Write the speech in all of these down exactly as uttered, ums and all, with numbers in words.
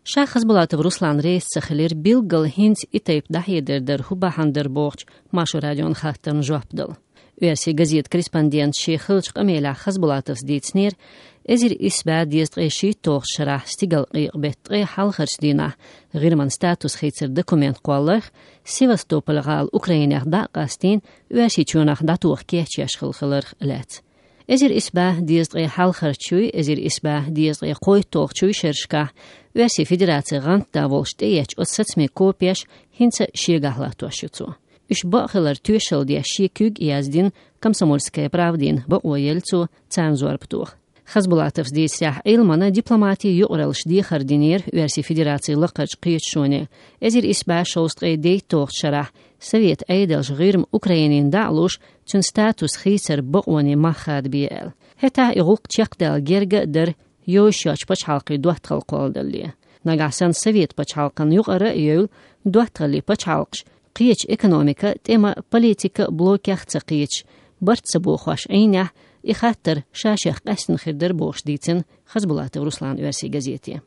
Ша Хасбулатов Руслан реза ца хилира билггал хӀинца и тайпа дӀахьедар дар хӀун бахьан дар бохучу Маршо радион хаттарна жоп дала. Оьрсийн газетан корреспондента шен хиллачу къамелехь Хасбулатовс дийцинера, эзар исс бӀе дезткъе шийтталгӀачу шарахь стигалкъекъа беттан ткъе хьалхарчу дийнахь ГӀирман статус хийцаран документ кхолларх, Севастополь-гӀала Украинех дӀа а къастийна, Оьрсийчоьнах дӀатоха кечъеш хилла хиларх а лаьцна. Эзар исс бӀе дезткъе хьалхарчуй, эзар исс бӀе дезткъе кхойтталгӀачуй шерашкахь Оьрсийн Федерацин гӀантда волуш тӀеэцначу оцу сацамийн копеш хӀинца а шегахь латтош ю цо. Уьш бакъ хилар тоьшалла деш шен куьг а яздина, «Комсомольская правдина» бакъо елла цо царна зорба тоха. Хасбулатовс дийцарехь, Ӏилманан дипломатин юкъараллаш дехар динера Оьрсийн Федерацин лакхарчу кхеташоне, эзар исс бӀе шовзткъе дейтталгӀачу шарахь Советан Ӏедалша ГӀирма Украинина дӀа а луш, цуьнан статус хийцаран бакъонийн мах хадабе аьлла. ХӀетахь и гӀуллакх чекхдала герга а дара йовзаш йоцчу пачхьалкхийн доттагӀалла кхолладалале. Нагахь санна Советан пачхьалкхана юкъара а евлла, доттагӀаллин пачхьалкхаш кхечу экономикан, тӀеман, политикан блокех а ца кхеташ, барт ца бохош Ӏийнехь, и хаттар ша-шех къаьстина хир дара бохуш дийцина Хасбулатов Руслана Оьрсийн газете.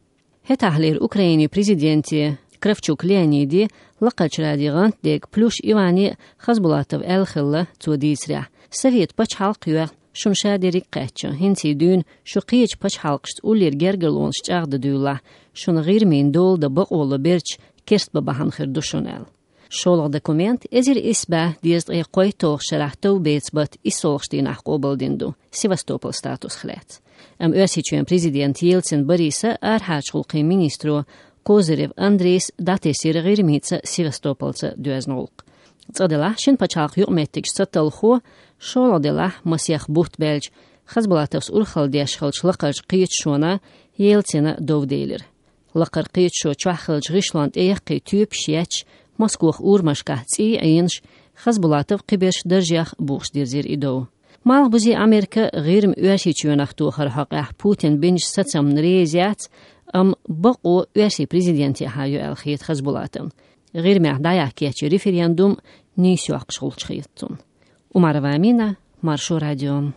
ХӀетахьлера Украинин президенте Кравчук Леониде, Лакхарчу радин гӀантдега Плюш Иване а Хасбулатовс аьлла хилла, цо дийцарехь: «Советан пачхьалкх а йоьхна, шуна ша дерриг а кхаьчна, хӀинца дуьйна шу кхечу пачхьалкхашца уллера гергарлонаш чӀагӀдан дуьйлалахь, шуна ГӀирмина дола дан бакъо ло берча керст бан бахьана хир ду шуна», — аьлла. ШолгӀа документ эзар исс бӀе дезткъе кхойтталгӀачу шарахь товбеца беттан иссалгӀачу дийнахь къобалдина ду Севастополан статусах лаьцна. Амма Оьрсийчоьнан президента Ельцин Бориса, арахьарчу гӀуллакхийн министро Козырев Андрейс дӀатесира ГӀирмица, Севастополца доьзна гӀуллакх. Цкъа делахь, шина пачхьалкхан юкъаметтигаш ца талхо, шолгӀа делахь, масех бутт баьлча, Хасбулатовс урхалла деш хиллачу лакхарчу кхеташонан Ельцина дов делира. Лакхара кхеташо чохь хиллачу гӀишлонна тӀеяккхий тоьпаш етташ, Москох урамашкахь цӀий а Ӏийнаш, Хасбулатов кхиберш даржех бухуш дирзира и дов. Малхбузе Америка ГӀирма Оьрсийчоьнах тохаран хьокъехь Путина бинчу сацамна реза яц, амма бакъо Оьрсийн президентехьа ю аьлла хета Хасбулатовна. ГӀирмехь дӀаяхьа кечйина референдум нийса йоккхуш гӀулч хета цунна. Умарова Амина, Маршо радио.